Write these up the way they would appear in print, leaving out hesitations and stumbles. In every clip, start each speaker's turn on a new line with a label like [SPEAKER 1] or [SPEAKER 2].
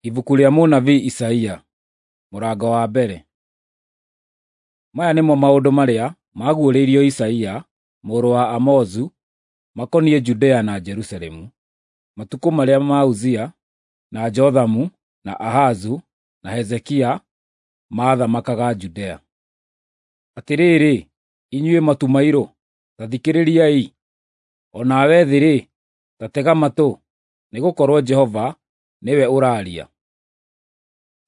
[SPEAKER 1] Ibuku rĩa mũnabii Isaia, mũrango wa mbere. Maya nĩmo maũndũ marĩa maguũrĩirio Isaia mũrũ wa Amozu makoniĩ Judea na Jerusalemu, matukũ marĩa ma Uzia, na Jothamu, na Ahazu, na Hezekia maathamakaga Judea. Atĩrĩrĩ, inyuĩ matu mairũ, ta thikĩrĩriai; o nawe thĩ-rĩ, ta tega matũ, nĩgũkorwo Jehova nĩwe ũraaria.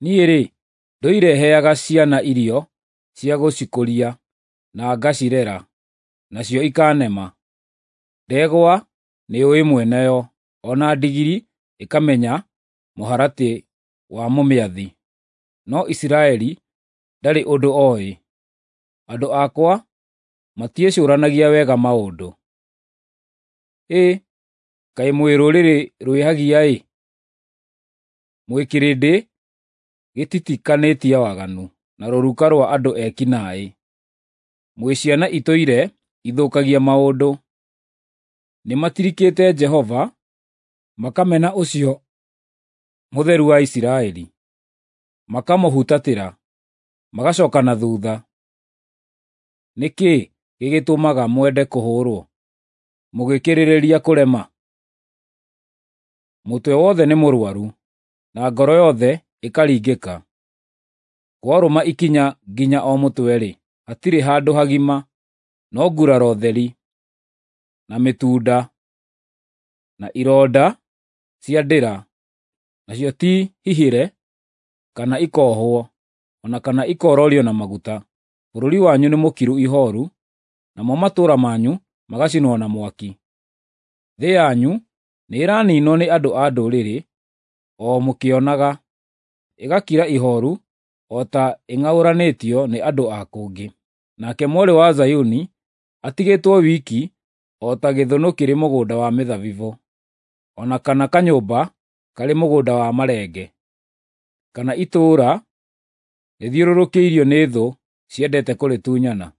[SPEAKER 1] Niĩ-rĩ, ndũire heaga ciana irio cia gũcikũria na ngacirera, nacio ikanema. Ndegwa nĩyũĩ mwene yo, o na ndigiri ĩkamenya mũharatĩ wa mũmĩathi, no Isiraeli ndarĩ ũndũ oĩ, andũ akwa matiĩcũũranagia wega maũndũ. Hĩ, kaĩ mwĩ rũrĩrĩ rwĩhagia-ĩ, mwĩ kĩrĩndĩ gĩtitikanĩtie waganu, na rũruka rwa andũ eki naĩ, mwĩ ciana itũire ithũkagia maũndũ. Nĩmatirikĩte Jehova, makamena ũcio Mũtheru wa Isiraeli, makamũhutatĩra, magacooka na thuutha. Nĩ kĩĩ gĩgĩtũmaga mwende kũhũũrwo, mũgĩkĩrĩrĩria kũrema? Mũtwe wothe nĩ mũrũaru, na ngoro yothe ĩkaringĩka. Kwarũma ikinya nginya o mũtwe-rĩ, hatirĩ handũ hagima, no nguraro theri, na mĩtunda, na ironda cia ndĩra, nacio ti hihĩre kana ikoohwo, o na kana ikoororio na maguta. Bũrũri wanyu nĩ mũkiru ihooru, namo matũũra manyu magacinwo na mwaki. Thĩ yanyu nĩĩraniinwo nĩ andũ a ndũrĩrĩ o mũkĩonaga, ĩgakira ihooru o ta ĩng'aũranĩtio nĩ andũ a kũngĩ. Nake mwarĩ wa Zayuni atigĩtwo wiki o ta gĩthũnũ kĩrĩ mũgũnda wa mĩthabibũ, o na kana kanyũmba karĩ mũgũnda wa marenge, kana itũũra rĩthiũrũrũkĩirio nĩ thũ ciendete kũrĩtunyana.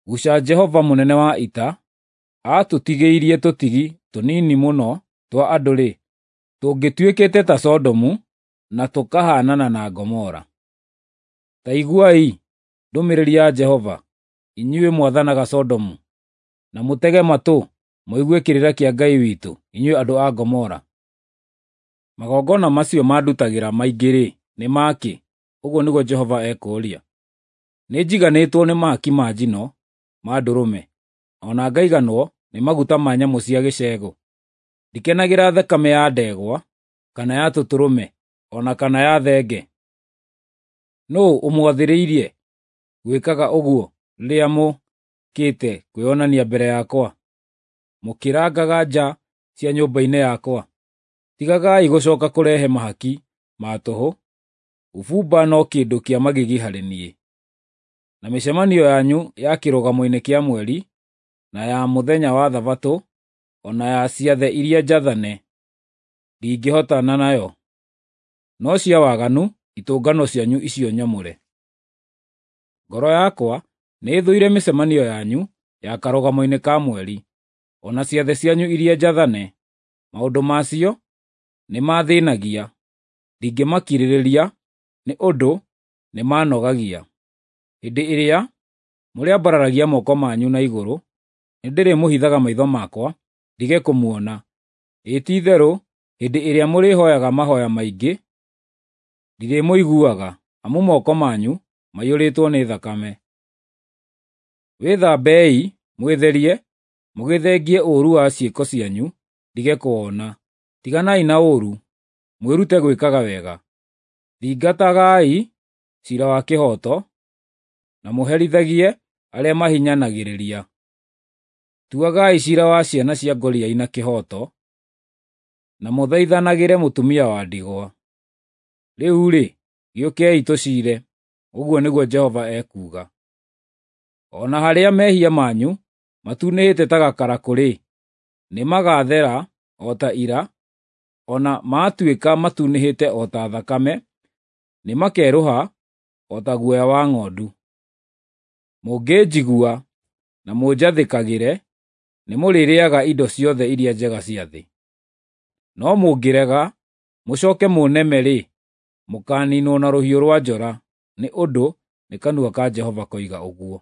[SPEAKER 1] Guca Jehova mũnene wa ita aatũtigĩirie tũtigi tũnini mũno twa andũ-rĩ, tũngĩtuĩkĩte ta Sodomu na tũkahaanana na Gomora. Ta iguai ndũmĩrĩri ya Jehova, inyuĩ mwathanaga Sodomu, na mũtege matũ mũigue kĩrĩra kĩa Ngai witũ, inyuĩ andũ a Gomora. Magongona macio mandutagĩra maingĩ-rĩ, nĩ ma kĩ? Ũguo nĩguo Jehova ekũũria. Nĩnjiganĩtwo nĩ mahaki ma njino ma ndũrũme, o na ngaiganwo nĩ maguta ma nyamũ cia gĩcegũ. Ndikenagĩra thakame ya ndegwa, kana ya tũtũrũme, o na kana ya thenge. Nũũ ũmwathĩrĩirie gwĩkaga ũguo rĩrĩa mũũkĩte kwĩonania mbere yakwa, mũkĩrangaga nja cia nyũmba-inĩ yakwa? Tigagai gũcooka kũrehe mahaki ma tũhũ, ũbumba no kĩndũ kĩa magigi harĩ niĩ. Na mĩcemanio yanyu ya kĩrũgamo-inĩ kĩa mweri, na ya mũthenya wa Thabatũ, o na ya ciathĩ iria njathane, ndingĩhotana nayo, no cia waganu itũngano cianyu icio nyamũre. Ngoro yakwa nĩĩthũire mĩcemanio yanyu ya karũgamo-inĩ ka mweri, o na ciathĩ cianyu iria njathane. Maũndũ macio nĩmathĩĩnagia, ndingĩmakirĩrĩria nĩ ũndũ nĩmanogagia. Hĩndĩ ĩrĩa mũrĩambararagia moko manyu na igũrũ, nĩndĩrĩmũhithaga maitho makwa ndige kũmuona; ĩĩ ti-itherũ hĩndĩ ĩrĩa mũrĩhooyaga mahooya maingĩ, ndirĩmũiguaga, amu moko manyu maiyũrĩtwo nĩ thakame. Wĩthambei mwĩtherie, mũgĩthengie ũũru wa ciĩko cianyu ndige kũwona. Tiganai na ũũru, mwĩrute gwĩkaga wega. Thingatagai ciira wa kĩhooto, na mũherithagie arĩa mahinyanagĩrĩria. Tuagai ciira wa ciana cia ngoriai na kĩhooto, na mũthaithanagĩre mũtumia wa ndigwa. Rĩu-rĩ, gĩũkei tũciire, ũguo nĩguo Jehova ekuuga. O na harĩa mehia manyu matunĩhĩte ta gakarakũ-rĩ, nĩmagathera o ta ira, o na maatuĩka matunĩhĩte o ta thakame, nĩmakerũha o ta guoya wa ng'ondu. Mũngĩnjigua na mũnjathĩkagĩre, nĩmũrĩrĩĩaga indo ciothe iria njega cia thĩ. No mũngĩrega mũcoke mũneme-rĩ, mũkaninwo na rũhiũ rũa njora, nĩ ũndũ nĩ kanua ka Jehova koiga ũguo.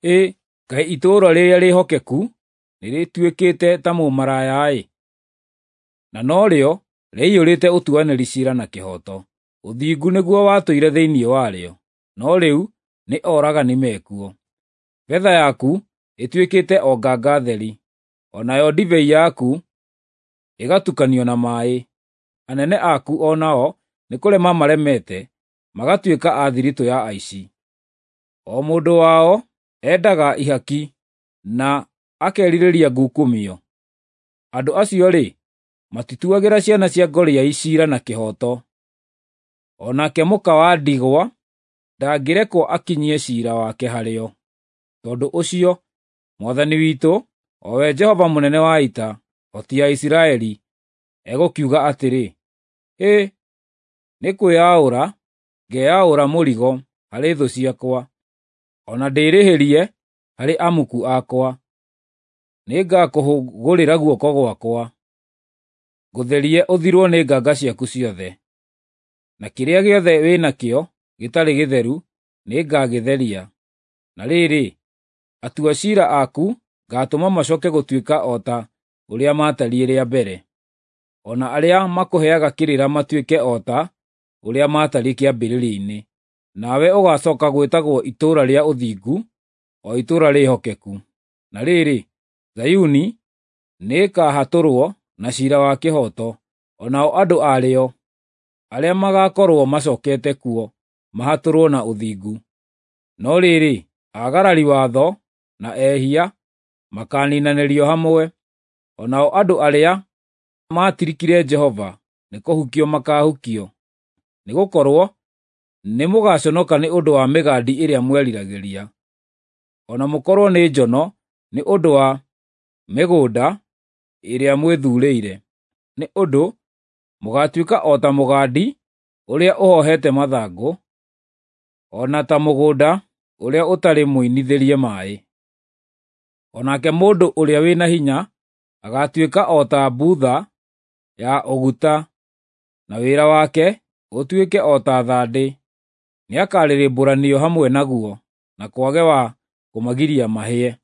[SPEAKER 1] Ĩ kaĩ itũũra rĩrĩa rĩhokeku nĩrĩtuĩkĩte ta mũmaraya-ĩ! Na norĩo rĩaiyũrĩte ũtuanĩri cira na kĩhooto, ũthingu nĩguo watũire thĩinĩ warĩo, no rĩu nĩ oragani me kuo. Betha yaku ĩtuĩkĩte o nganga theri, o nayo ndibei yaku ĩgatukanio na maĩ. Anene aku o nao nĩ kũrema maremete, magatuĩka a thiritũ ya aici. O mũndũ wao endaga ihaki, na akerirĩria ngukumio. Andũ acio-rĩ, matituagĩra ciana cia ngoriai cira na kĩhooto, o nake mũka wa ndigwa ndangĩrekwo akinyie cira wake harĩo. Tondũ ũcio, Mwathani witũ, o we Jehova Mũnene wa Ita, hoti ya Isiraeli, egũkiuga atĩrĩ, Hĩ, nĩ kwĩaũra ngeaũra mũrigo harĩ thũ ciakwa, o na ndĩĩrĩhĩrie harĩ amuku akwa. Nĩngakũhũgũrĩra guoko gwakwa, ngũtherie ũthirwo nĩ nganga ciaku ciothe, na kĩrĩa gĩothe wĩ nakĩo gĩtarĩ gĩtheru nĩngagĩtheria. Na rĩrĩ, atua cira aku ngatũma macoke gũtuĩka o ta ũrĩa maatariĩ rĩa mbere, o na arĩa makũheaga kĩrĩra matuĩke o ta ũrĩa maatariĩ kĩambĩrĩria-inĩ. Nawe ũgacoka gwĩtagwo Itũũra rĩa Ũthingu, o Itũũra Rĩhokeku. Na rĩrĩ, Zayuni nĩĩkahatũrwo na cira wa kĩhooto, o nao andũ arĩo arĩa magakorwo macokete kuo mahatũrwo na ũthingu. No rĩrĩ, aagarari watho na ehia makaniinanĩrio hamwe, o nao andũ arĩa maatirikire Jehova nĩkũhukio makaahukio. Nĩgũkorwo nĩmũgaconoka nĩ ũndũ wa mĩgandi ĩrĩa mweriragĩria, o na mũkorwo nĩ njono nĩ ũndũ wa mĩgũnda ĩrĩa mwĩthuurĩire, nĩ ũndũ mũgaatuĩka o ta mũgandi ũrĩa ũhohete mathangũ, o na ta mũgũnda ũrĩa ũtarĩ mũinithĩrie maaĩ. O nake mũndũ ũrĩa wĩ na hinya agaatuĩka o ta mbutha ya ũguta, na wĩra wake ũtuĩke o ta thandĩ. Nĩakarĩrĩmbũranio hamwe naguo, na kwage wa kũmagiria mahĩe.